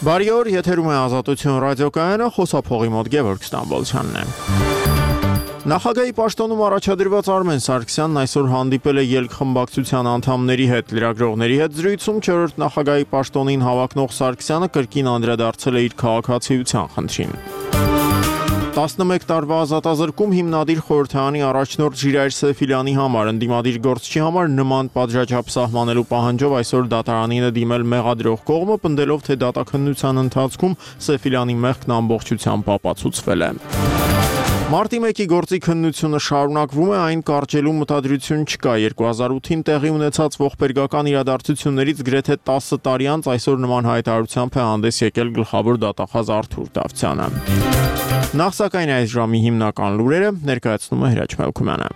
Բարի օր, եթերում է Ազատություն ռադիոկայանը, խոսափողի մոտ Գևորգ Ստամբոլցյանն է։ Նախագահի պաշտոնում առաջադրված Արմեն Սարգսյանն այսօր հանդիպել է ելք-խմբակցության անդամների հետ։ Լրագրողների հետ զրույցում 4-րդ նախագահի պաշտոնին հավակնող Սարգսյանը կրկին անդրադարձել է իր քաղաքացիության խնդրին։ 11 տարվա ազատազրկում հիմնադիր խորհրդարանի առաջնորդ Ժիրայր Սեֆիլյանի համար ընդդիմադիր գործչի համար նման պատժաչափ սահմանելու պահանջով այսօր դատարանին է դիմել մեղադրող կողմը, պնդելով, թե դատաքննության ընթացքում Սեֆիլյանի մեղքն ամբողջությամբ ապացուցվել է։ Մարտի 1-ի գործի քննությունը շարունակվում է, այն կարճելու մտադրություն չկա։ 2008-ին տեղի ունեցած ողբերգական իրադարձություններից գրեթե 10 տարի անց այսօր նման հայտարարությամբ է հանդես եկել գլխավոր դատախազ Արթուր Դավթյանը։ Նախ սակայն այս ժամի հիմնական լուրերը ներկայացնում է Հրաչ Մելքումյանը։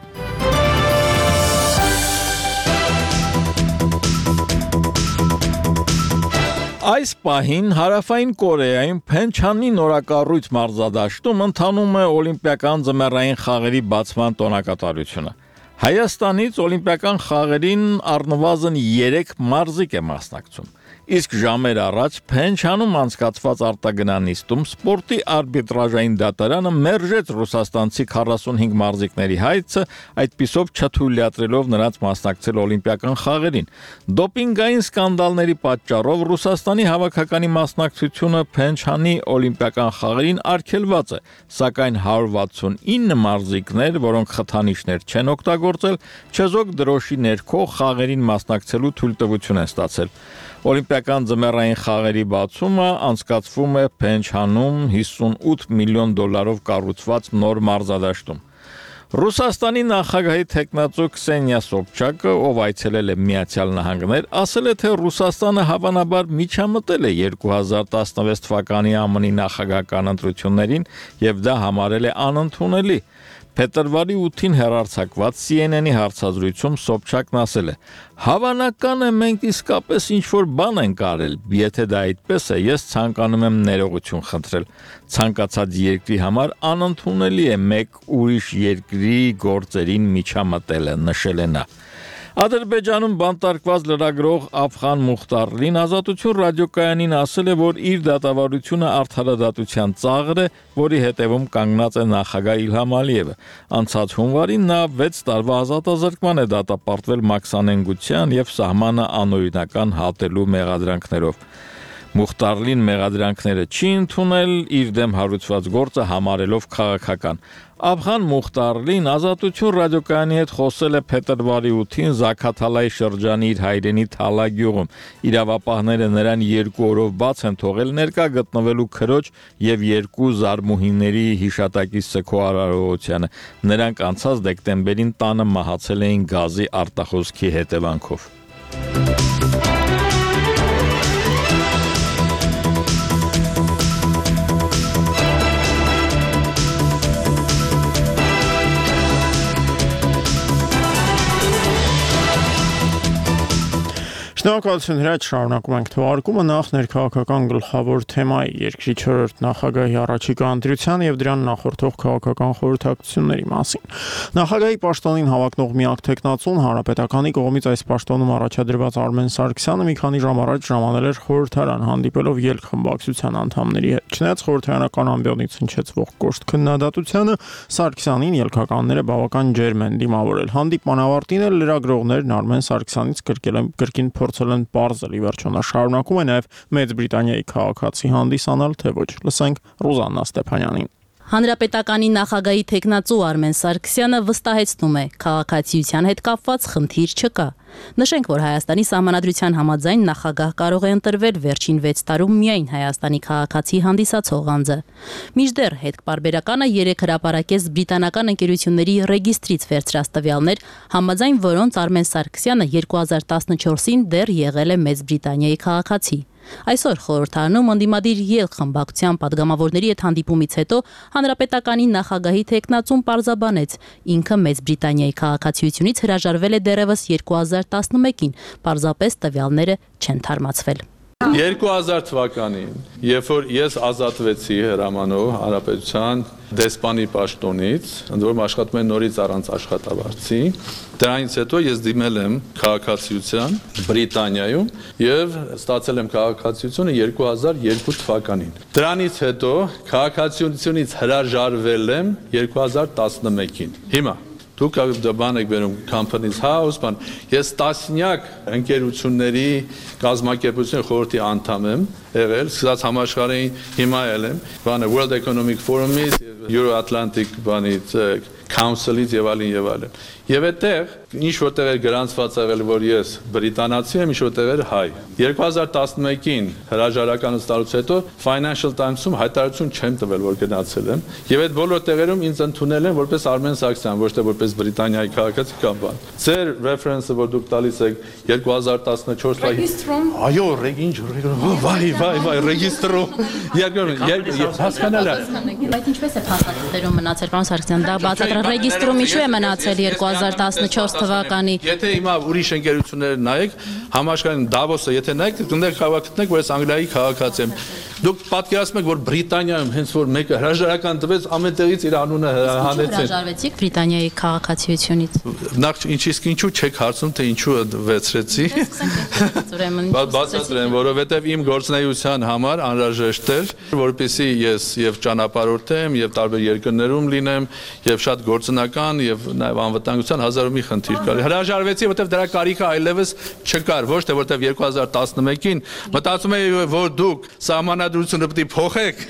Այս պահին Հարավային Կորեայում Փենչանի նորակառույց մարզադաշտում ընթանում է օլիմպիական ձմեռային խաղերի բացման տոնակատարությունը։ Հայաստանից օլիմպիական խաղերին առնվազն 3 մարզիկ է մասնակցում։ Իսկ ժամեր առաջ Փենչանում անցկացված արտագնանիստում սպորտի արբիտրաժային դատարանը մերժեց ռուսաստանցի 45 մարզիկների հայցը, այդպիսով չթույլատրելով նրանց մասնակցել օլիմպիական խաղերին։ Դոպինգային սկանդալների պատճառով Ռուսաստանի հավաքականի մասնակցությունը Փենչանի օլիմպիական խաղերին արգելված է, սակայն 169 մարզիկներ, որոնք խթանիչներ չեն օգտագործել, չեզոք դրոշի ներքո խաղերին մասնակցելու թույլտվություն են ստացել։ Օլիմպիական ձմեռային խաղերի բացումը անցկացվում է Փենչանում $58 միլիոն կառուցված նոր մարզադաշտում։ Ռուսաստանի նախագահի թեկնածու Քսենիա Սոբչակը, ով այցելել է Միացյալ Նահանգներ, ասել է, թե Ռուսաստանը հավանաբար միջամտել է 2016 թվականի ԱՄՆ-ի նախագահական ընտրություններին եւ դա համարել է անընդունելի։ Փետրվարի 8-ին հեռարձակված CNN-ի հարցազրույցում Սոբչակն ասել է. «Հավանական է մենք իսկապես ինչ-որ բան ենք արել, եթե դա այդպես է, ես ցանկանում եմ ներողություն խնդրել։ Ցանկացած երկրի համար անընդունելի է մեկ ուրիշ երկրի գործերին միջամտելը», նշել է նա։ Ադրբեջանում բանտարկված լրագրող Աֆղան Մուխտարլին Ազատություն ռադիոկայանին ասել է, որ իր դատավարությունը արդարադատության ծաղր է, որի հետևում կանգնած է նախագահ Իլհամ Ալիևը։ Անցած հունվարին նա 6 տարվա ազատազրկման է դատապարտվել մաքսանենգության եւ սահմանը անօրինական հատելու մեղադրանքներով։ Մուխտարլին մեղադրանքները չի ընդունել, իր դեմ հարուցված գործը համարելով քաղաքական։ Աֆղան Մուխտարլին Ազատություն ռադիոկայանի հետ խոսել է փետրվարի 8-ին Զաքաթալայի շրջանի իր հայրենի Թալա գյուղում։ Իրավապահները նրան 2 օրով բաց են թողել ներկա գտնվելու քրոջ եւ 2 զարմուհիների հիշատակի սգո արարողությանը։ Նրանք անցած դեկտեմբերին տանը մահացել էին գազի արտախոսքի հետևանքով։ Շնորհակալություն Հրաչ, շարունակում ենք թողարկումը նախ ներքաղաքական գլխավոր թեմայի երկրի 4-րդ նախագահի առաջիկա ընտրության եւ դրան նախորդող քաղաքական խորհրդակցությունների մասին։ Նախագահի պաշտոնին հավակնող միակ թեկնածուն Հանրապետականի կողմից այս պաշտոնում առաջադրված Արմեն Սարգսյանը մի քանի ժամ առաջ ժամանել էր խորհրդարան, հանդիպելով ելք-խմբակցության անդամների հետ։ Չնայած խորհրդարանական ամբիոնից հնչեցվող կոշտ քննադատությանը, Սարգսյանին ելքականները բավական ջերմ են դիմավորել։ Հանդիպման ավարտին էլ լրագրողներն Արմեն Սարգսյանից կրկին փորձել են պարզել, ի վերջո նա շարունակում է նաև Մեծ Բրիտանիայի քաղաքացի հանդիսանալ, թե ոչ։ Լսենք Ռուզաննա Ստեփանյանին։ Հանրապետականի նախագահի թեկնածու Արմեն Սարգսյանը վստահեցնում է, քաղաքացիության հետ կապված խնդիր չկա։ Նշենք, որ Հայաստանի Սահմանադրության համաձայն նախագահ կարող է ընտրվել վերջին 6 տարում միայն Հայաստանի քաղաքացի հանդիսացող անձը։ Մինչդեռ հետպարբերականը 3 հրապարակեց բրիտանական ընկերությունների ռեգիստրից վերցրած տվյալներ, համաձայն որոնց Արմեն Սարգսյանը 2014-ին դեռ եղել է Մեծ Բրիտանիայի քաղաքացի։ Այսօր խորհրդարանում ընդդիմադիր ելք-խմբակցության падգամավորների հետ հանդիպումից հետո Հանրապետականի նախագահի թեկնածուն պարզաբանեց, ինքը Մեծ Բրիտանիայի քաղաքացիությունից հրաժարվել է դեռևս 2011-ին, պարզապես տվյալները չեն թարմացվել։ 2000 թվականին, երբ որ ես ազատվեցի հրամանով հանրապետության դեսպանի պաշտոնից, ընդ որում աշխատում եմ նորից առանց աշխատավարձի, դրանից հետո ես դիմել եմ քաղաքացիության Բրիտանիայում եւ ստացել եմ քաղաքացիությունը 2002 թվականին։ Դրանից հետո քաղաքացիությունից հրաժարվել եմ 2011-ին։ Հիմա դուք բան եք բերում Companies House, ես տասնյակ ընկերությունների կազմակերպության խորհրդի անդամ եմ եղել, սկսած համաշխարհային հիմա եմ, World Economic Forum-ից, Euro-Atlantic Council-ից եւ այլն։ Եվ այդտեղ ինչ որտեղ էր գրանցված եղել, որ ես բրիտանացի եմ, ինչ որտեղ էր հայ։ 2011-ին հրաժարականից ստալուց հետո Financial Times-ում հայտարարություն չեմ տվել, որ գնացել եմ, եւ այդ բոլոր տեղերում ինձ ընդունել են որպես Արմեն Սարգսյան, ոչ թե որպես Բրիտանիայի քաղաքացի կամ բան։ Ձեր reference-ը, որ դուք տալիս եք 2014 թվականին։ Այո, վայ, ռեգիստրում։ Հասկանալի է։ Բայց ինչպես է փաստաթղթերում մնացել, պարոն Սարգսյան, դա բացատրական ռեգիստրում ինչու է մնացել 2014 թվականի։ Եթե հիմա ուրիշ ընկերությունները նայեք, համաշխարհային Դավոսը, եթե նայեք, դուք գտնեք, որ ես Անգլիայի քաղաքացի եմ։ Դուք պատկերացնում եք, որ Բրիտանիայում հենց որ մեկը հրաժարական տվեց, ամեն տեղից իր անունը հանեցին։ Հրաժարվեցիք Բրիտանիայի քաղաքացիությունից։ Նախ ինչու չեք հարցնում, թե ինչու վեցրեցի։ Բացատրեմ, որովհետև իմ գործունեության համար անհրաժեշտ էր, որպեսզի ես եւ ճանապարհորդեմ, եւ տարբեր երկրներում լինեմ, եւ շատ գործնական եւ նաեւ անվտանգության հազար ու մի խնդիր կար։ Հրաժարվեցի, որովհետև դրա կարիքը այլևս չկար, ոչ թե որովհետև 2011-ին մտածում էի, որ դուք սահմանադրությունը պետք է փոխեք։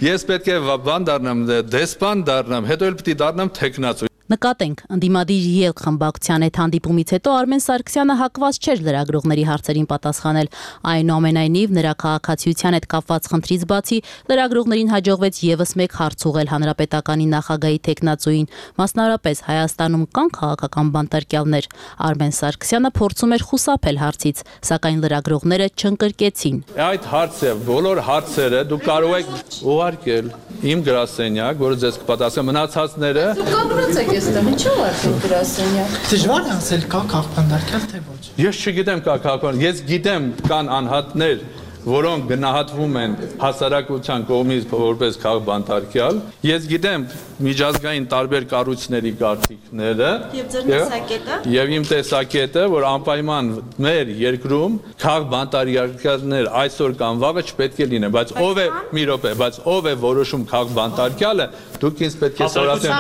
Ես պետք է բան դառնամ, դեսպան դառնամ, հետո էլ պետք է դառնամ տեխնացու։ Նկատենք, ընդդիմադիր ելք խմբակցության այդ հանդիպումից հետո Արմեն Սարգսյանը հակված չէր լրագրողների հարցերին պատասխանել։ Այնուամենայնիվ, նրա քաղաքացիության հետ կապված խնդրից բացի լրագրողներին հաջողվեց եւս մեկ հարց ուղղել հանրապետականի նախագահի տեխնացուին, մասնավորապես Հայաստանում կան քաղաքական բանտարկյալներ։ Արմեն Սարգսյանը փորձում էր խուսափել հարցից, սակայն լրագրողները չընկրկեցին։ Այդ հարցը, բոլոր հարցերը դուք կարող եք ուղարկել իմ գրասենյակ, որը ձեզ կպատասխանի, մնացածները Ինչու՞ արդեն գրասենյակ։ Դժվար է ասել կա քաղաքապետարան թե ոչ։ Ես չգիտեմ կա քաղաքապետարան, ես գիտեմ կան անհատներ, որոնք գնահատվում են հասարակության կողմից որպես քաղաքաբանտարկյալ։ Ես գիտեմ միջազգային տարբեր կառույցների կարծիքները եւ իմ տեսակետը, որ անպայման մեր երկրում քաղաքաբանտարկյալներ այսօր կամ վաղը չպետք է լինեն, բայց ով է մի րոպե, բայց ով է որոշում քաղաքաբանտարկյալը, դուք ինձ պետք է սորացնեք։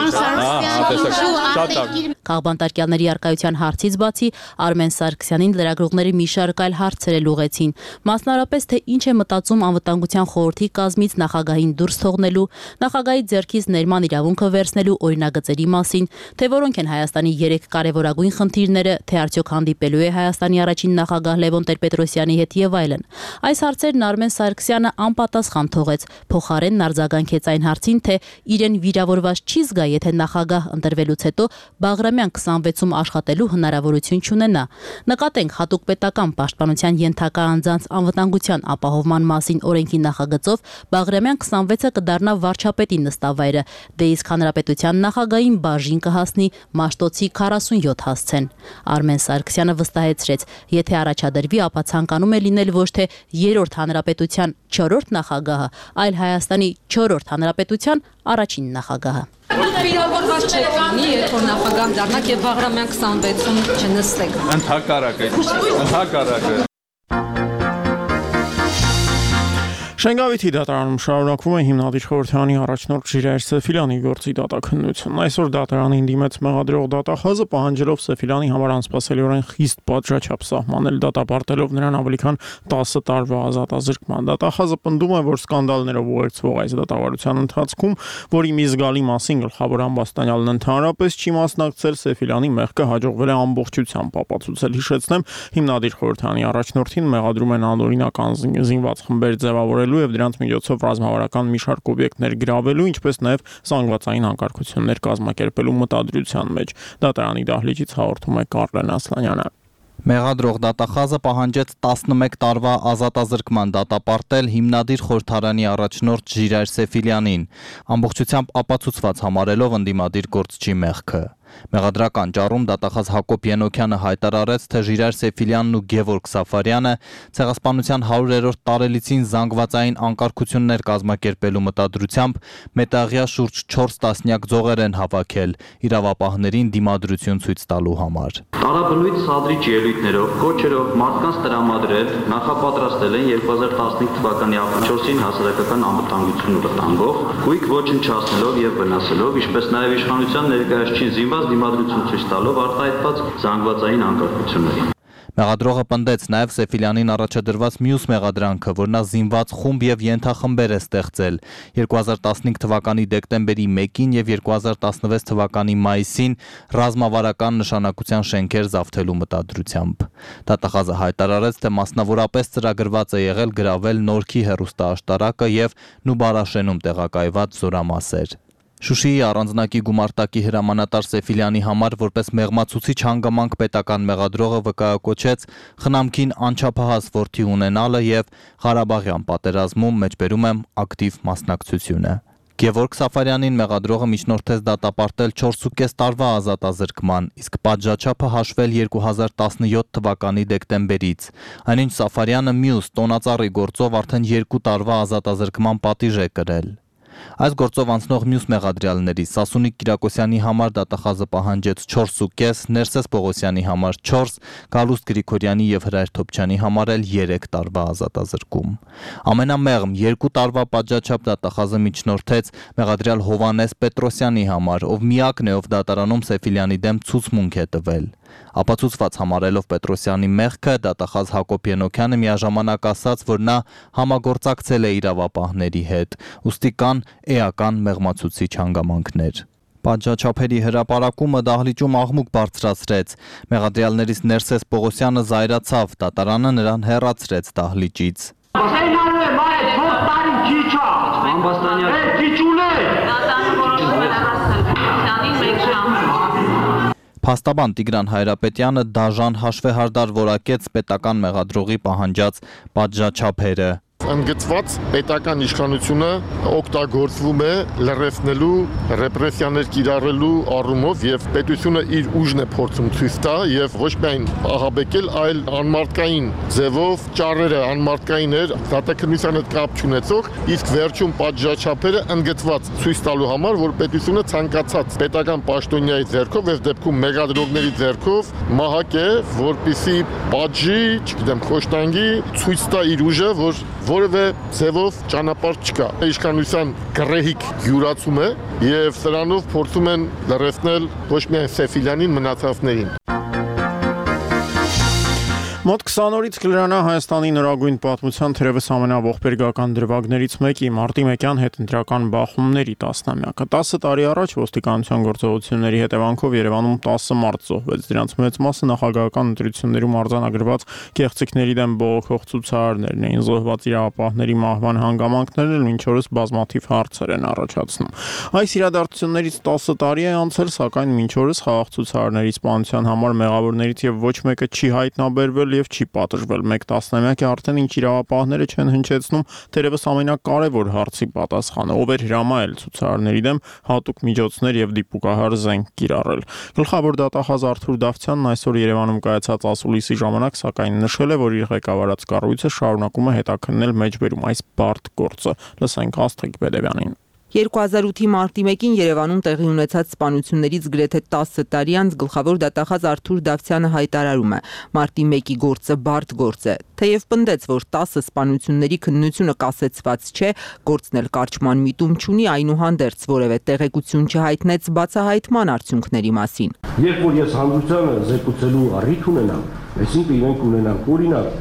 Քաղաքաբանտարկյալների արկայության հարցից բացի Արմեն Սարգսյանին լրագրողների մի շարք այլ հարցեր էլ ուղղեցին, մասնավորապես թե ինչ է մտածում անվտանգության խորհրդի կազմից նախագահին դուրս թողնելու, նախագահի ձեռքից ներման իրավունքը վերցնելու օրինագծերի մասին, թե որոնք են Հայաստանի 3 կարևորագույն խնդիրները, թե արդյոք հանդիպելու է Հայաստանի առաջին նախագահ Լևոն Տեր-Պետրոսյանի հետ եւ այլն։ Այս հարցերն Արմեն Սարգսյանը անպատասխան թողեց, փոխարենն արձագանքեց այն հարցին, թե իրեն վիրավորված չի զգա, եթե նախագահ ընտրվելուց հետո Բաղրամյան 26-ում աշխատելու հնարավորություն չունենա։ Նկատենք, հատուկ պետական պաշտպանության ենթակա անձանց անվտանգության ապահովման մասին օրենքի նախագծով Բաղրամյան 26-ը կդառնա վարչապետի նստավայրը, դե իսկ հանրապետության նախագահին բաժին կհասնի Մաշտոցի 47 հասցեն։ Արմեն Սարգսյանը վստահեցրեց, եթե առաջադրվի, ապա ցանկանում է լինել ոչ թե 3-րդ հանրապետության 4-րդ նախագահը, այլ Հայաստանի 4-րդ հանրապետության առաջին նախագահը։ Վիրավորված չեք լինի, երբ որ նախագահ դառնաք եւ Բաղրամյան 26-ում չնստեք։ Ընդհակառակը։ Շենգավիթի դատարանում շարունակվում է հիմնադիր խորհրդարանի առաջնորդ Ժիրայր Սեֆիլյանի գործի դատաքննությունն։ Այսօր դատարանին դիմեց մեղադրող դատախազը, պահանջելով Սեֆիլյանի համար անսպասելիորեն խիստ պատժաչափ սահմանել, դատապարտելով նրան ավելի քան 10 տարվա ազատազրկման։ Դատախազը պնդում է, որ սկանդալներով ուղեկցվող այս դատավարության ընթացքում, որի մի զգալի մասին գլխավոր ամբաստանյալն ընդհանրապես չի մասնակցել, Սեֆիլյանի մեղքը հաջողվել է ամբողջությամբ ապացուցել։ Հիշեցնեմ, հիմնադիր խորհրդարանի առաջնորդին մեղադրում են անօրինակ զինված խմբեր ձևավորել եւ դրանց միջոցով ռազմավարական մի շարք օբյեկտներ գրավելու, ինչպես նաեւ զանգվածային հակարգություններ կազմակերպելու մտադրության մեջ։ Դատարանի դահլիճից հաղորդում է Կարլեն Ասլանյանը։ Մեղադրող դատախազը պահանջեց 11 տարվա ազատազրկման դատապարտել հիմնադիր խորհրդարանի առաջնորդ Ժիրայր Սեֆիլյանին, ամբողջությամբ ապացուցված համարելով ընդդիմադիր գործչի մեղքը։ Մեղադրական ճառում դատախազ Հակոբ Ենոքյանը հայտարարեց, թե Ժիրայր Սեֆիլյանն ու Գևորգ Սաֆարյանը ցեղասպանության 100-րդ տարելիցին զանգվածային անկարգություններ կազմակերպելու մտադրությամբ մետաղյա շուրջ 4 տասնյակ ձողեր են հավաքել իրավապահներին դիմադրություն ցույց տալու համար։ Տարաբնույթ սադրիչ ելույթներով, կոչերով մարդկանց տրամադրել նախապատրաստել են 2015 թվականի ապրիլի 4-ին հասարակական անվտանգություն վտանգող, գույք ոչնչացնելով եւ վնասելով, ինչպես նաեւ իշխանության ներկայացուցիչին զինված դիմադրություն ցույց տալով արտահայտված զանգվածային անկարգություններին։ Մեղադրողը պնդեց նաև Սեֆիլյանին առաջադրված մյուս մեղադրանքը, որ նա զինված խումբ եւ ենթախմբեր է ստեղծել 2015 թվականի դեկտեմբերի 1-ին եւ 2016 թվականի մայիսին ռազմավարական նշանակության շենքեր զավթելու մտադրությամբ։ Դատախազը հայտարարեց, թե մասնավորապես ծրագրված է եղել գրավել Նորքի հեռուստաաշտարակը եւ Նուբարաշենում տեղակայված զորամասեր։ Շուշիի առանձնակի գումարտակի հրամանատար Սեֆիլյանի համար որպես մեղմացուցիչ հանգամանք պետական մեղադրողը վկայակոչեց խնամքին անչափահաս որդի ունենալը եւ Ղարաբաղյան պատերազմում մեջբերում եմ ակտիվ մասնակցությունը։ Գևորգ Սաֆարյանին մեղադրողը միջնորդեց դատապարտել 4.5 տարվա ազատազրկման, իսկ պատժաչափը հաշվել 2017 թվականի դեկտեմբերից։ Այնինչ Սաֆարյանը մյուս տոնածառի գործով արդեն 2 տարվա ազատազրկման պատիժ է կրել։ Այս գործով անցնող մյուս մեղադրյալների Սասունիկ Կիրակոսյանի համար դատախազը պահանջեց 4.5, Ներսես Պողոսյանի համար 4, Գալուստ Գրիգորյանի եւ Հրայր Թոփչյանի համար էլ 3 տարվա ազատազրկում։ Ամենամեղմ 2 տարվա պատժաչափ դատախազը միջնորդեց մեղադրյալ Հովանես Պետրոսյանի համար, ով միակն է, ով դատարանում Սեֆիլյանի դեմ ցուցմունք է տվել։ Ապացուցված համարելով Պետրոսյանի մեղքը, դատախազ Հակոբ Ենոքյանը միաժամանակ ասաց, որ նա համագործակցել է իրավապահների հետ, ուստի կան էական մեղմացուցիչ հանգամանքներ։ Պատժաչափերի հրապարակումը դահլիճում աղմուկ բարձրացրեց։ Մեղադրյալներից Ներսես Պողոսյանը զայրացավ, դատարանը նրան հեռացրեց դահլիճից։ Փաստաբան Տիգրան Հայրապետյանը դաժան հաշվեհարդար որակեց պետական մեղադրողի պահանջած պատժաչափերը։ Ընդգծված պետական իշխանությունը օգտագործվում է լրացնելու, ռեպրեսիաներ կիրառելու առումով եւ պետությունը իր ուժն է փորձում ցույց տա եւ ոչ միայն ահաբեկել, այլ անմարդկային ձևով ճառերը անմարդկային էր, դատաքննության հետ կապ չունեցող, իսկ վերջում պատժաչափերը ընդգծված ցույց տալու համար, որ պետությունը ցանկացած պետական պաշտոնյայի ձեռքով եւ դեպքում մեղադրողների ձեռքով մահակ է, որպիսի պատժի, չգիտեմ, խոշտանգի, ցույց տա իր ուժը, որ որևէ ձևով ճանապարհ չկա։ Իշխանության գռեհիկ յուրացում է եւ սրանով փորձում են լրացնել ոչ միայն Սեֆիլյանին, մնացածներին։ Մոտ 20 օրից կլրանա Հայաստանի նորագույն պատմության թերևս ամենաողբերգական դրվագներից մեկի մարտի 1-յան հետընտրական բախումների 10-ամյակը։ 10 տարի առաջ ոստիկանության գործողությունների հետևանքով Երևանում 10 մարդ զոհվեց։ Դրանց մեծ մասը նախագահական ընտրություններում արձանագրված կեղծիքների դեմ բողոքող ցուցարարներն էին։ Զոհված իրավապահների մահվան հանգամանքներն էլ մինչ օրս բազմաթիվ հարցեր են առաջացնում։ Այս իրադարձություններից 10 տարի է անցել, սակայն մինչ օրս խաղաղ ցուցարարների սպանության համար մեղավորներից եւ ոչ մեկը չի հայտնաբերվել եւ չի պատժվել։ 1 տասնամյակ է արդեն ինչ իրավապահները չեն հնչեցնում թերևս ամենակարևոր հարցի պատասխանը, ով էր հրամայել ցուցարարների դեմ հատուկ միջոցներ եւ դիպուկահար զենք կիրառել։ Գլխավոր դատախազ Արթուր Դավթյանն այսօր Երևանում կայացած ասուլիսի ժամանակ սակայն նշել է, որ իր ղեկավարած կառույցը շարունակում է հետաքննել մեջբերում այս բարդ գործը։ Լսենք Աստղիկ Բեդևյանին։ 2008-ի մարտի 1-ին Երևանում տեղի ունեցած սպանություններից գրեթե 10 տարի անց գլխավոր դատախազ Արթուր Դավթյանը հայտարարում է. մարտի 1-ի գործը բարդ գործ է, թեև պնդեց, որ 10 սպանությունների քննությունը կասեցված չէ, գործն էլ կարճման միտում չունի, այնուհանդերձ որևէ տեղեկություն չհայտնեց բացահայտման արդյունքների մասին։ Երբ որ ես հանրությանը զեկուցելու առիթ ունենամ, այսինքն իրենք ունենան օրինակ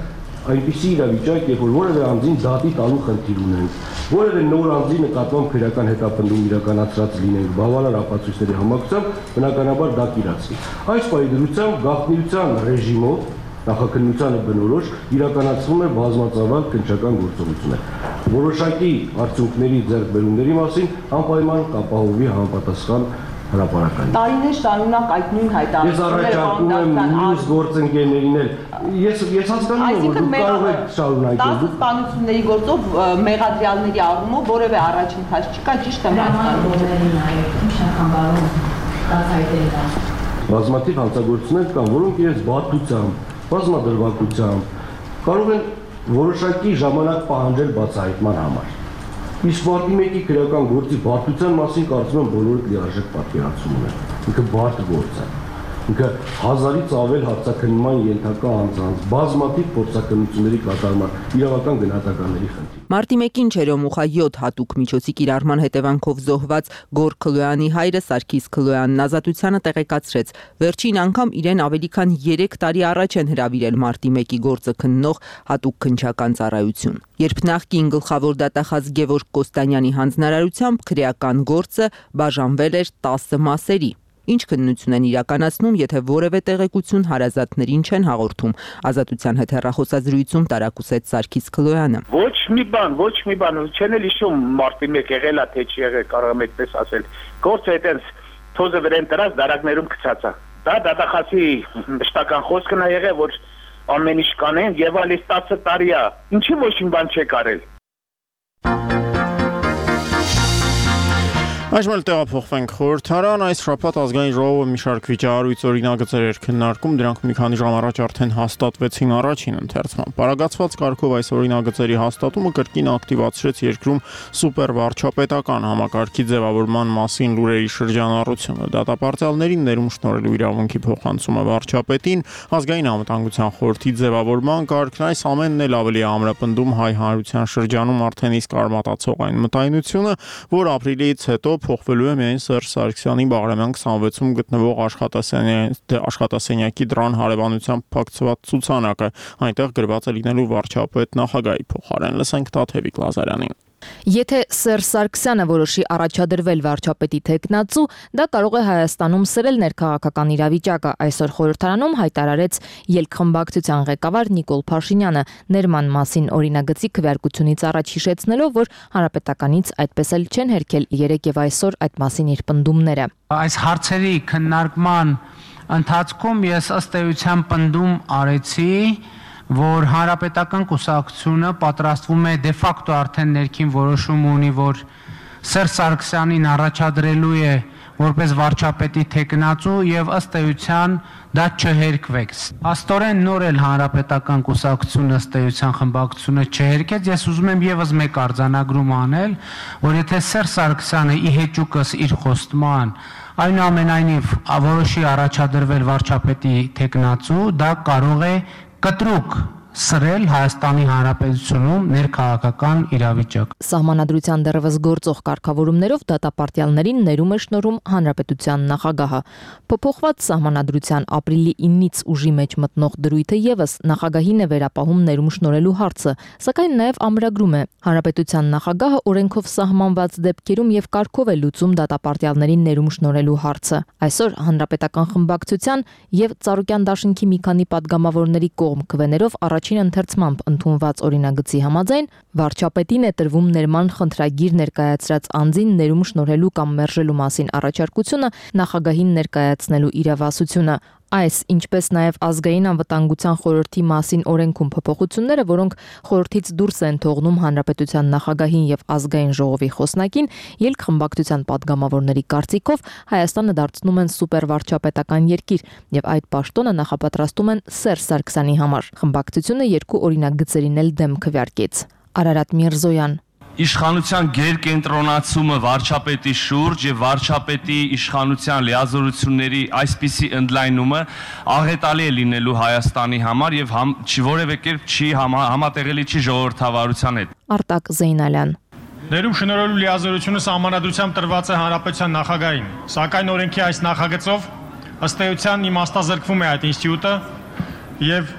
այնպիսի իրավիճակ, երբ որ որևէ անձին դատի տալու խնդիր ունենք, որևէ նոր անձի նկատմամբ քրեական հետապնդում իրականացրած լինենք բավարար ապացույցների համակցությամբ, բնականաբար դա կիրացվի։ Այս պահի դրությամբ գաղտնիության ռեժիմով նախաքննությանը բնորոշ իրականացվում է բազմածավալ քննչական գործողություններ։ Որոշակի արդյունքների ձեռքբերումների մասին անպայման կապահովի համապատասխան հրապարակային։ Տարիներ շարունակ այդ նույն հայտարարությունները ես առաջարկում եմ մյուս գործընկերներին էլ ես հասկանում եմ, որ դուք կարող եք շարունակել։ 10 սպանությունների գործով մեղադրյալների առումով որևէ առաջընթաց չկա, ճիշտ եմ հասկանում։ Բազմաթիվ հանցագործություններ կան, որոնք իրենց բարդությամբ, բազմադրվածությամբ կարող են որոշակի ժամանակ պահանջել բացահայտման համար։ Իսկ մարտի 1-ի քրեական գործի բարդության մասին կարծում եմ բոլորը լիարժեք պատկերացում ունեն։ Ինքը բարդ գործ է։ Ինքը հազարից ավել հարցաքննման ենթակա անձանց, բազմաթիվ փորձաքննությունների կատարման, իրավական գնահատականների խնդիր։ Մարտի 1-ին Չերոմուխա 7 հատուկ միջոցի կիրառման հետևանքով զոհված Գոր Քլոյանի հայրը Սարգիս Քլոյանն ազատությանը տեղեկացրեց. վերջին անգամ իրեն ավելի քան 3 տարի առաջ են հրավիրել մարտի 1-ի գործը քննող հատուկ քննչական ծառայություն։ Երբ նախկին գլխավոր դատախազ Գևորգ Կոստանյանի հանձնարարությամբ քրեական գործը բաժանվել էր 10 մասերի։ Ինչ քննություն են իրականացնում, եթե որևէ տեղեկություն հարազատներին չեն հաղորդում, ազատության հետ հեռախոսազրույցում տարակուսեց Սարգիս Քլոյանը։ Ոչ մի բան, չեն էլ հիշում մարտի 1 եղել է, թե չի եղել, կարող եմ այդպես ասել։ Գործը այդպես թոզը վրան տրած դարակներում գցած է։ Դա դատախազի մշտական խոսքն է եղել, որ ամեն ինչ կանեն եւ ալիս 10 տարի է։ Ինչի ոչ մի բան չեք արել։ Այժմ էլ տեղափոխվենք խորհրդարան, այս շաբաթ ազգային ժողովը մի շարք վիճահարույց օրինագծեր էր քննարկում, դրանք մի քանի ժամ առաջ արդեն հաստատվեցին առաջին ընթերցման։ Պարագացված կարգով այս օրինագծերի հաստատումը կրկին ակտիվացրեց երկրում սուպերվարչապետական համակարգի ձևավորման մասին լուրերի շրջանառությունը։ Դատապարտյալներին ներում շնորհելու իրավունքի փոխանցումը վարչապետին, ազգային անվտանգության խորհրդի ձևավորման կարգն, այս ամենն էլ ավելի ամրապնդում հայ հանրության շրջանում արդեն իսկ արմատացող այն մտայնությունը, որ ապրիլից հետո փոխվելու է միայն Սերժ Սարգսյանի Բաղրամյան 26-ում գտնվող աշխատասենյակի դրան հարևանությամբ փակցված ցուցանակը, այնտեղ գրված է լինելու վարչապետ նախագահի փոխարեն։ Լսենք Տաթևիկ Լազարյանին։ Եթե Սերժ Սարգսյանը որոշի առաջադրվել վարչապետի թեկնածու, դա կարող է Հայաստանում սրել ներքաղաքական իրավիճակը, այսօր խորհրդարանում հայտարարեց ելքխմբակցության ղեկավար Նիկոլ Փաշինյանը, ներման մասին օրինագծի քվեարկությունից առաջ հիշեցնելով, որ հանրապետականից այդպես էլ չեն հերքել երեկ եւ այսօր այդ մասին իր պնդումները։ Այս հարցերի քննարկման ընթացքում ես ըստ էության պնդում արեցի, որ հանրապետական կուսակցությունը պատրաստվում է դե ֆակտո արդեն ներքին որոշում ունի, որ Սերժ Սարգսյանին առաջադրելու է որպես վարչապետի թեկնածու եւ ըստ էության դա չհերկվեց։ Աստորեն նոր էլ հանրապետական կուսակցությունը ըստ էության խմբակցությունը չհերկեց, ես ուզում եմ եւս մեկ արձանագրում անել, որ եթե Սերժ Սարգսյանը ի հեճուկս իր խոստման այնուամենայնիվ որոշի առաջադրվել վարչապետի թեկնածու, դա կարող է կտրուկ սրել Հայաստանի Հանրապետությունում ներքաղաքական իրավիճակ։ Սահմանադրության դեռևս գործող կարգավորումներով դատապարտյալներին ներում է շնորհում հանրապետության նախագահը։ Փոփոխված սահմանադրության ապրիլի 9-ից ուժի մեջ մտնող դրույթը եւս նախագահին է վերապահում ներում շնորհելու հարցը, սակայն նաեւ ամրագրում է հանրապետության նախագահը օրենքով սահմանված դեպքերում եւ կարգով է լուծում դատապարտյալներին ներում շնորհելու հարցը։ Այսօր հանրապետական խմբակցության եւ Ծառուկյան դաշինքի մի քանի падգամավորների կողմ քվեներով առաջին ընթերցմամբ ընդունված օրինագծի համաձայն վարչապետին է տրվում ներման խնդրագիր ներկայացրած անձին ներում շնորհելու կամ մերժելու մասին առաջարկությունը նախագահին ներկայացնելու իրավասությունը։ Այս, ինչպես նաև ազգային անվտանգության խորհրդի մասին օրենքում փոփոխությունները, որոնք խորհրդից դուրս են թողնում հանրապետության նախագահին եւ ազգային ժողովի խոսնակին, ելքխմբակցության падգամավորների կարծիքով Հայաստանը դարձնում են սուպերվարչապետական երկիր եւ այդ պաշտոնը նախապատրաստում են Սերժ Սարգսյանի համար։ Խմբակցությունը երկու օրինագծերին էլ դեմ քվեարկեց։ Արարատ Միրզոյան Իշխանության գերկենտրոնացումը վարչապետի շուրջ եւ վարչապետի իշխանության լիազորությունների այսպիսի ընդլայնումը աղետալի է լինելու Հայաստանի համար եւ որևէ կերպ չի համատեղելի չի ժողովրդավարության հետ։ Արտակ Զեյնալյան Ներում շնորհելու լիազորությունը սահմանադրությամբ տրված է հանրապետության նախագահին, սակայն օրենքի այս նախագծով ըստ էության իմաստազրկվում է այդ ինստիտուտը եւ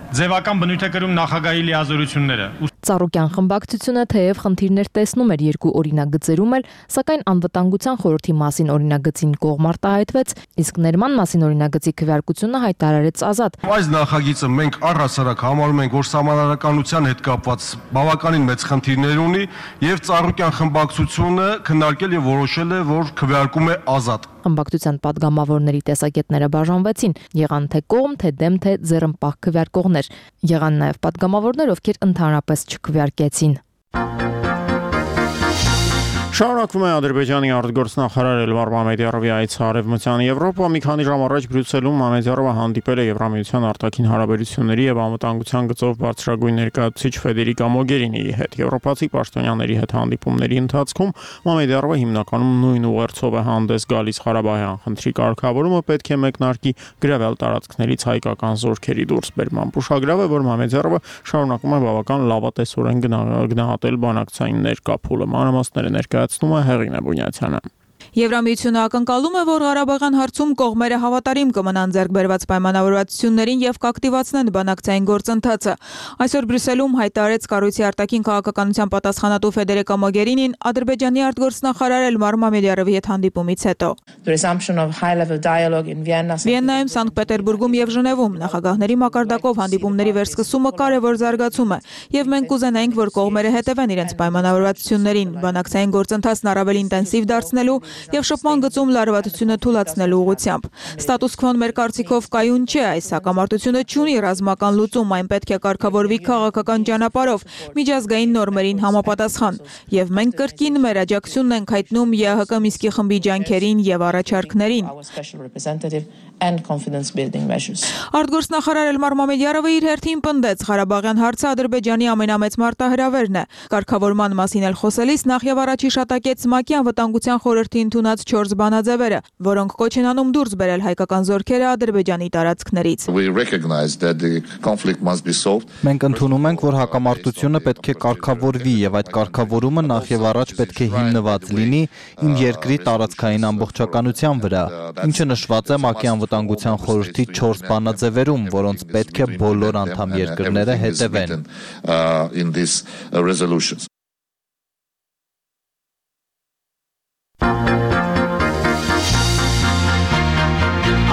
ձևական բնույթ է կրում նախագահի լիազորությունները։ Ծառուկյան խմբակցությունը թեև խնդիրներ տեսնում էր երկու օրինագծերում էլ, սակայն անվտանգության խորհրդի մասին օրինագծին կողմ արտահայտվեց, իսկ ներման մասին օրինագծի քվեարկությունը հայտարարեց ազատ։ Այս նախագիծը մենք առհասարակ համարում ենք, որ սահմանադրականության հետ կապված բավականին մեծ խնդիրներ ունի եւ Ծառուկյան խմբակցությունը քննարկել եւ որոշել է, որ քվեարկում է ազատ։ Խմբակցության падգամավորների տեսակետները բաժանվեցին, եղան թե կողմ, թե դեմ, թե ձեռնպահ քվեարկողներ։ Եղան նաև падգամավորներ, ովքեր ընդհանրապես չքվեարկեցին։ Շարունակվում է Ադրբեջանի արտգործնախարար Էլմար Մամեդյարովի այցը Արևմտյան Եվրոպա։ Մի քանի ժամ առաջ Բրյուսելում Մամեդյարովը հանդիպել է Եվրամիության արտաքին հարաբերությունների եւ անվտանգության գծով բարձրագույն ներկայացուցիչ Ֆեդերիկա Մոգերինիի հետ։ Եվրոպացի պաշտոնյաների հետ հանդիպումների ընթացքում Մամեդյարովը հիմնականում նույն ուղերձով է հանդես գալիս Ղարաբաղյան խնդրի կարգավորումը պետք է մեկնարկի գրավել տարածքներից հայկական զորքերի դուրսբերման։ Ուշագրավ է, որ Մամեդյարովը շարունակում է բավական լավատեսորեն գնահատել բանակցային ներկա փուլը։ Մանրամասները ներկայացնում է Հեղինե Բունյացյանը։ Եվրամիությունը ակնկալում է, որ Ղարաբաղյան հարցում կողմերը հավատարիմ կմնան ձեռք բերված պայմանավորվածություններին եւ կակտիվացնեն բանակցային գործընթացը։ Այսօր Բրյուսելում հայտարարեց կառույցի արտաքին քաղաքականության պատասխանատու Ֆեդերիկա Մոգերինին Ադրբեջանի արտգործնախարար Էլմար Մամեդյարովի հետ հանդիպումից հետո։ Վիեննայում, Սանկտ Պետերբուրգում եւ Ժնևում նախագահների մակարդակով հանդիպումների վերսկսումը կարևոր զարգացում է եւ մենք կուզենայինք, որ կողմերը հետևեն իրենց պայմանավորվածություններին, բանակցային գործընթացն առավել ինտենսիվ դարձնելու եւ շփման գծում լարվածությունը թույլատնելու ուղղությամբ։ Ստատուս քվոն մեր կարծիքով կայուն չէ, այս հակամարտությունը չունի ռազմական լուծում, այն պետք է կարգավորվի քաղաքական ճանապարհով, միջազգային նորմերին համապատասխան։ Եվ մենք կրկին մեր աջակցությունն ենք հայտնում ԵՀԿ Մինսկի խմբի ջանքերին եւ առաջարկներին։ Արտգործնախարար Էլմար Մամեդյարովը իր հերթին պնդեց Ղարաբաղյան հարցը Ադրբեջանի ամենամեծ մարտահրավերն է։ Կարգավորման մասին էլ խոսելիս նախ եւ առաջ հիշատակեց ՄԱԿ-ի անվտանգության խորհրդի ընդունած 4 բանաձևերը, որոնք կոչ են անում դուրս բերել հայկական զորքերը Ադրբեջանի տարածքներից։ Մենք ընդունում ենք, որ հակամարտությունը պետք է կարգավորվի եւ այդ կարգավորումը նախ եւ առաջ պետք է հիմնված լինի իմ երկրի տարածքային ամբողջականության վրա, ինչը նշված է ՄԱԿ-ի անվտանգության խորհրդի 4 բանաձևերում, որոնց պետք է բոլոր անդամ երկրները հետևեն։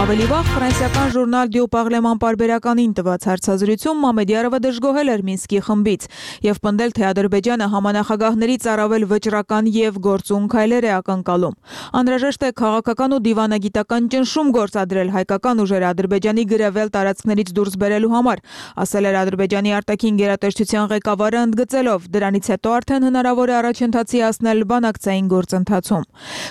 Ավելի վաղ ֆրանսիական ժուրնալ Դյու Պարլեման պարբերականին տված հարցազրույցում Մամեդյարովը դժգոհել էր Մինսկի խմբից եւ պնդել, թե Ադրբեջանը համանախագահներից առավել վճռական եւ գործուն քայլեր է ակնկալում։ Անհրաժեշտ է քաղաքական ու դիվանագիտական ճնշում գործադրել հայկական ուժերը Ադրբեջանի գրավել տարածքներից դուրս բերելու համար, ասել էր Ադրբեջանի արտաքին գերատեսչության ղեկավարը, ընդգծելով, դրանից հետո արդեն հնարավոր է առաջընթացի հասնել բանակցային գործընթացում։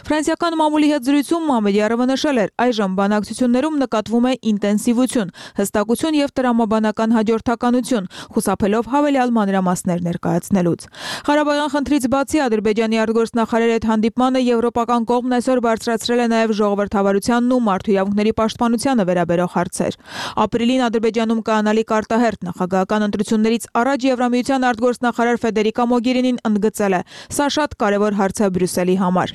Ֆրանսիական մամուլի հետ զրույցում Մամեդյարովը նշել էր, այժմ բանակցություններում նկատվում է ինտենսիվություն, հստակություն եւ տրամաբանական հաջորդականություն, խուսափելով հավելյալ մանրամասներ ներկայացնելուց։ Ղարաբաղյան խնդրից բացի Ադրբեջանի արտգործնախարարի հետ հանդիպմանը եվրոպական կողմն այսօր բարձրացրել է նաեւ ժողովրդավարությանն ու մարդու իրավունքների պաշտպանությանը վերաբերող հարցեր։ Ապրիլին Ադրբեջանում կանալիք արտահերթ նախագահական ընտրություններից առաջ Եվրամիության արտգործնախարար Ֆեդերիկա Մոգերինին ընդգծել է. «Սա շատ կարևոր հարց է Բրյուսելի համար»։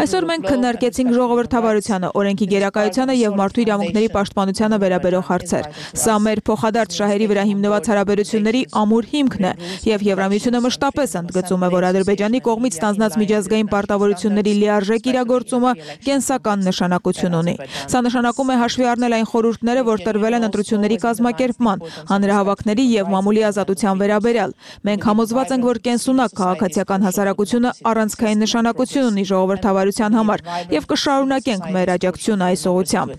Այսօր մենք քննարկեցինք ժողովրդավարությանը, օրենքի գերակայությանը եւ մարդու իրավունքների պաշտպանությանը վերաբերող հարցեր։ Սա մեր փոխադարձ շահերի վրա հիմնված հարաբերությունների ամուր հիմքն է եւ Եվրամիությունը մշտապես ընդգծում է, որ Ադրբեջանի կողմից ստանձնած միջազգային պարտավորությունների լիարժեք իրագործումը կենսական նշանակություն ունի։ Սա նշանակում է հաշվի առնել այն խորհուրդները, որ տրվել են ընտրությունների կազմակերպման, հանրահավաքների եւ մամուլի ազատության վերաբերյալ։ Մենք համոզված ենք, որ կենսունակ քաղաքացիական հասարակությունը առանցքային նշանակություն ունի ժողովրդավարության համար եւ կշարունակենք մեր աջակցությունը այս ուղղությամբ։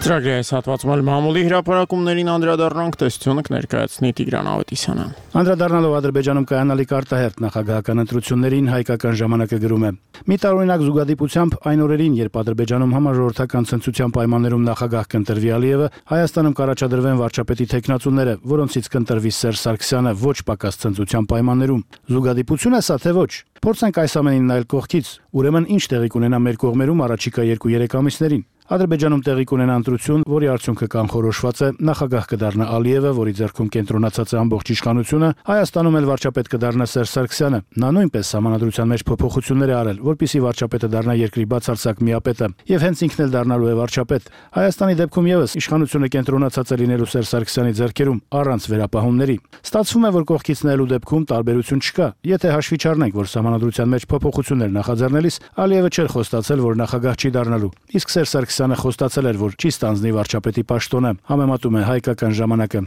Ծրագրի այս հատվածում մամուլի հրապարակումներին անդրադառնանք, տեսությունը կներկայացնի Տիգրան Ավետիսյանը։ Անդրադառնալով Ադրբեջանում կայանալիք արտահերթ նախագահական ընտրություններին, հայկական ժամանակը գրում է. «Մի տարօրինակ զուգադիպությամբ այն օրերին, երբ Ադրբեջանում համաժողովրդական ցնցության պայմաններում նախագահ կընտրվի Ալիևը, Հայաստանում կառաջադրվեն վարչապետի թեկնածուները, որոնցից կընտրվի Սերժ Սարգսյանը ոչ պակաս ցնցության պայմաններում։ Զուգադիպություն է սա, թե ոչ։ Փորձենք այս ամենին նայել կողքից, ուրեմն ինչ տեղի կունենա մեր կողմերում առաջիկա 2-3 ամիսներին։ Ադրբեջանում տեղի կունենա ընտրություն, որի արդյունքը կանխորոշված է, նախագահ կդառնա Ալիևը, որի ձեռքում կենտրոնացած է ամբողջ իշխանությունը, Հայաստանում էլ վարչապետ կդառնա Սերժ Սարգսյանը։ Նա նույնպես սահմանադրության մեջ փոփոխություններ է արել, որպեսզի վարչապետը դառնա երկրի բացարձակ միապետը, եւ հենց ինքն էլ դառնալու է վարչապետ։ Հայաստանի դեպքում եւս իշխանությունը կենտրոնացած է լինելու Սերժ Սարգսյանի ձեռքերում առանց վերապահումների։ Ստացվում է, որ կողքից նայելու դեպքում տարբերություն չկա։ Եթե հաշվի չառնենք, որ սահմանադրության մեջ փոփոխություններ նախաձեռնելիս Ալիևը չէր խոստացել, որ նախագահ չի դառնալու, իսկ Սերժ Սարգսյանը խոստացել էր, որ չի ստանձնի վարչապետի պաշտոնը, համեմատում է հայկական ժամանակը։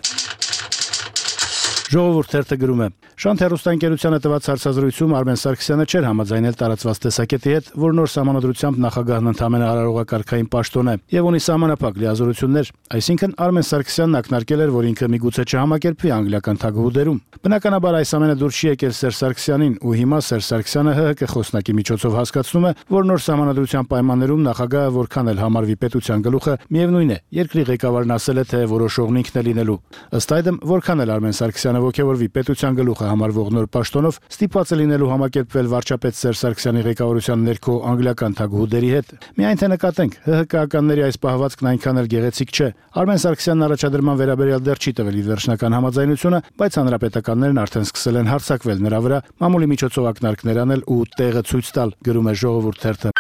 Ժողովուրդ թերթը գրում է. Շանթ հեռուստաընկերությանը տված հարցազրույցում Արմեն Սարգսյանը չէր համաձայնել տարածված տեսակետի հետ, որ նոր սահմանադրությամբ նախագահն ընդհանրապես արարողակարգային պաշտոն է եւ ունի սահմանափակ լիազորություններ, այսինքն Արմեն Սարգսյանն ակնարկել էր, որ ինքը միգուցե չհամակերպվի անգլիական թագուհուդերում։ Բնականաբար այս ամենը դուրս չի եկել Սերժ Սարգսյանին, ու հիմա Սերժ Սարգսյանը ՀՀԿ խոսնակի միջոցով հասկացնում է, որ նոր սահմանադրության պայմաններում նախագահը որքան էլ համարվի պետության գլուխը, միևնույն է, երկրի ղեկավարն ասել է, թե որոշողն ինքն է լինելու։ Ըստ այդմ, որքան էլ Արմեն Սարգսյանը ոգևորվի պետության գլուխը համարվող նոր պաշտոնով, ստիպված է լինելու համակերպվել վարչապետ Սերժ Սարգսյանի ղեկավարության ներքո անգլիական թագուհուդերի հետ։ Միայն թե նկատենք, ՀՀԿ-ականների այս պահվածքն այնքան էլ գեղեցիկ չէ։ Արմեն Սարգսյանն առաջադրման վերաբերյալ դեռ չի տվել իր վերջնական համաձայնությունը, բայց հանրապետականներն արդեն սկսել են հարձակվել նրա վրա, մամուլի միջոցով ակնարկներ անել ու տեղը ցույց տալ, գրում է Ժողովուրդ թերթը։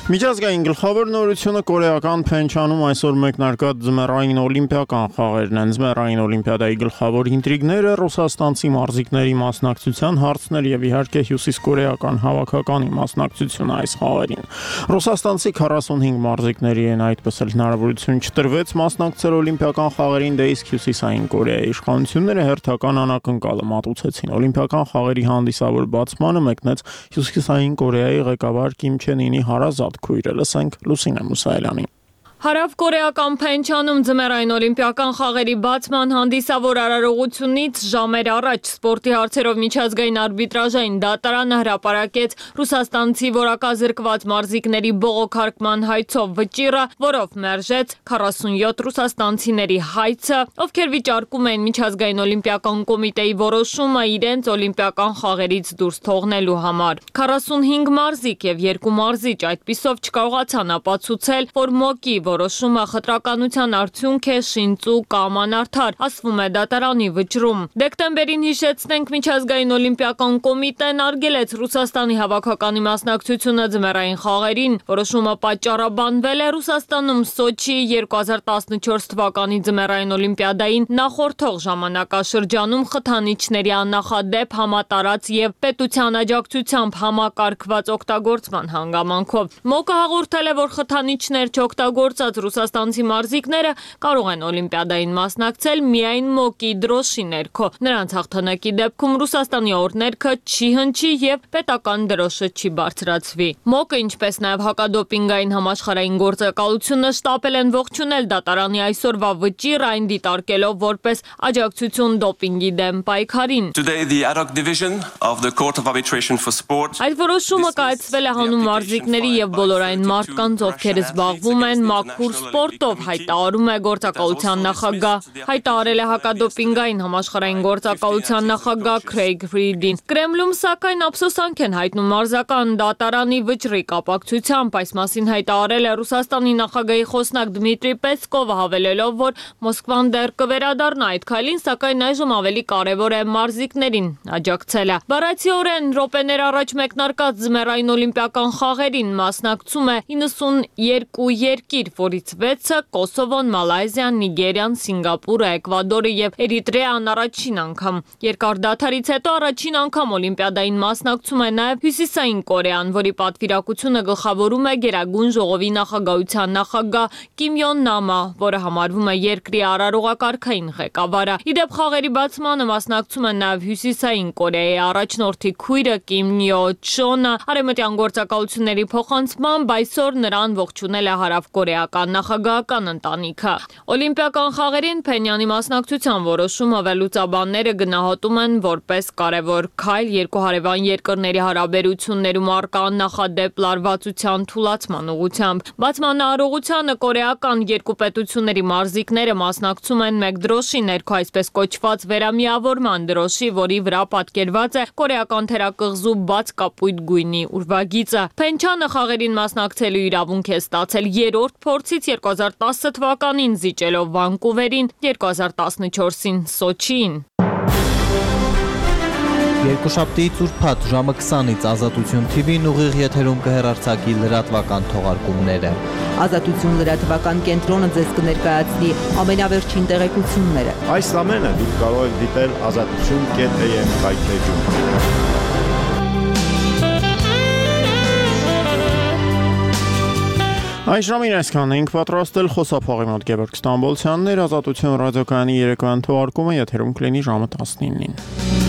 Միջազգային գլխավոր նորությունը կորեական Փենչանում այսօր մեկնարկած ձմեռային օլիմպիական խաղերն են։ Ձմեռային օլիմպիադայի գլխավոր ինտրիգները ռուսաստանցի մարզիկների մասնակցության հարցներ եւ իհարկե հյուսիսկորեական հավաքականի մասնակցությունը այս խաղերին։ Ռուսաստանցի 45 մարզիկների են այդպես էլ հնարավորություն չտրվեց մասնակցել օլիմպիական խաղերին, դե իսկ հյուսիսային Կորեայի իշխանությունները հերթական անակնկալը մատուցեցին։ Օլիմպիական խաղերի հանդիսավոր բացմանը մեկնեց հյուսիսային Կորեայի ղեկավար Կիմ Չեն Ինի հարազատ քույրը, լսենք Լուսինե Մուսայելյանին։ Հարավկորեական Փենչանում ձմեռային օլիմպիական խաղերի բացման հանդիսավոր արարողությունից ժամեր առաջ սպորտի հարցերով միջազգային արբիտրաժային դատարանը հրապարակեց ռուսաստանցի որակազրկված մարզիկների բողոքարկման հայցով վճիռը, որով մերժեց 47 ռուսաստանցիների հայցը, ովքեր վիճարկում են միջազգային օլիմպիական կոմիտեի որոշումը իրենց օլիմպիական խաղերից դուրս թողնելու համար։ 45 մարզիկ եւ 2 մարզիչ այդպիսով չկարողացան ապացուցել, որ ՄՕԿ-ի որոշումը խտրականության արդյունք է, շինծու կամ անարդար, ասվում է դատարանի վճռում։ Դեկտեմբերին հիշեցնենք միջազգային օլիմպիական կոմիտեն արգելեց Ռուսաստանի հավաքականի մասնակցությունը ձմեռային խաղերին։ Որոշումը պատճառաբանվել է Ռուսաստանում Սոչի 2014 թվականի ձմեռային օլիմպիադային նախորդող ժամանակաշրջանում խթանիչների աննախադեպ համատարած եւ պետության աջակցությամբ համակարգված օգտագործման հանգամանքով։ ՄՕԿ-ը հաղորդել է, որ խթանիչներ չօգտագործած ռուսաստանցի մարզիկները կարող են օլիմպիադային մասնակցել միայն ՄՕԿ-ի դրոշի ներքո։ Նրանց հաղթանակի դեպքում Ռուսաստանի օրներքը չի հնչի եւ պետական դրոշը չի բարձրացվի։ ՄՕԿ-ը, ինչպես նաեւ հակադոպինգային համաշխարհային գործակալությունը շտապել են ողջունել դատարանի այսօրվա վճիռ, այն դիտարկելով որպես աջակցություն դոպինգի դեմ պայքարին։ Այդ որոշումը կայացվել է հանուն մարզիկների եւ բոլոր այն մարդկանց, ովքեր զբաղվում են մաքուր սպորտով, հայտարարում է գործակալության նախագահ։ Հայտարարել է հակադոպինգային համաշխարհային գործակալության նախագահ Քրեյգ Ֆրիդին։ Կրեմլում սակայն ափսոսանք են հայտնում մարզական դատարանի վճռի կապակցությամբ, այս մասին հայտարարել է Ռուսաստանի նախագահի խոսնակ Դմիտրի Պեսկովը, հավելելով, որ Մոսկվան դեռ կվերադառնա այդ քայլին, սակայն այժմ ավելի կարևոր է մարզիկներին աջակցելը։ Բառացիորեն րոպեներ առաջ մեկնարկած ձմեռային օլիմպիական խաղերին մասնակցում է 92 երկիր, որից 6-ը Կոսովոն, Մալայզիան, Նիգերիան, Սինգապուրը, Էկվադորը եւ Էրիտրեան առաջին անգամ։ Երկար դադարից հետո առաջին անգամ օլիմպիադային մասնակցում է նաեւ Հյուսիսային Կորեան, որի պատվիրակությունը գլխավորում է Գերագույն ժողովի նախագահության նախագահ Կիմ Յոն Նամը, որը համարվում է երկրի արարողակարգային ղեկավարը։ Իդեպ խաղերի բացմանը մասնակցում է նաեւ Հյուսիսային Կորեայի առաջնորդի քույրը Կիմ Նյո Չոնը։ Արևմտյան գործակալությունների փոխանցմամբ այսօր նրան ողջունել է հարավկորեական նախագահական ընտանիքը։ Օլիմպիական խաղերին Փենյանի մասնակցության որոշումը վերլուծաբանները գնահատում են որպես կարևոր քայլ երկու հարևան երկրների հարաբերություններում առկա նախադեպ լարվածության թուլացման ուղղությամբ։ Բացման արարողությանը կորեական երկու պետությունների մարզիկները մասնակցում են մեկ դրոշի ներքո, այսպես կոչված վերամիավորման դրոշի, որի վրա պատկերված է կորեական թերակղզու բաց կապույտ գույնի ուրվագիծը։ Փենչանը խաղերին մասնակցելու իրավունք է ստացել երրորդ փորձից 2010 թվականին զիջելով Վանկուվերին, 2014-ին Սոչիին։ Երկուշաբթիից ուրբաթ ժամը 20-ից Ազատություն TV-ն ուղիղ եթերում կհեռարձակի լրատվական թողարկումները։ Ազատություն լրատվական կենտրոնը ձեզ կներկայացնի ամենավերջին տեղեկությունները։ Այս ամենը դուք կարող եք դիտել azatutun.am կայքէջում։ Այս ժամին այսքանն ենք պատրաստել խոսափողի մոտ Գևորգ Ստամբոլցյանն էր, Ազատություն ռադիոկայանի երեկոյան թողարկումը եթերում կլինի ժամը 19-ին։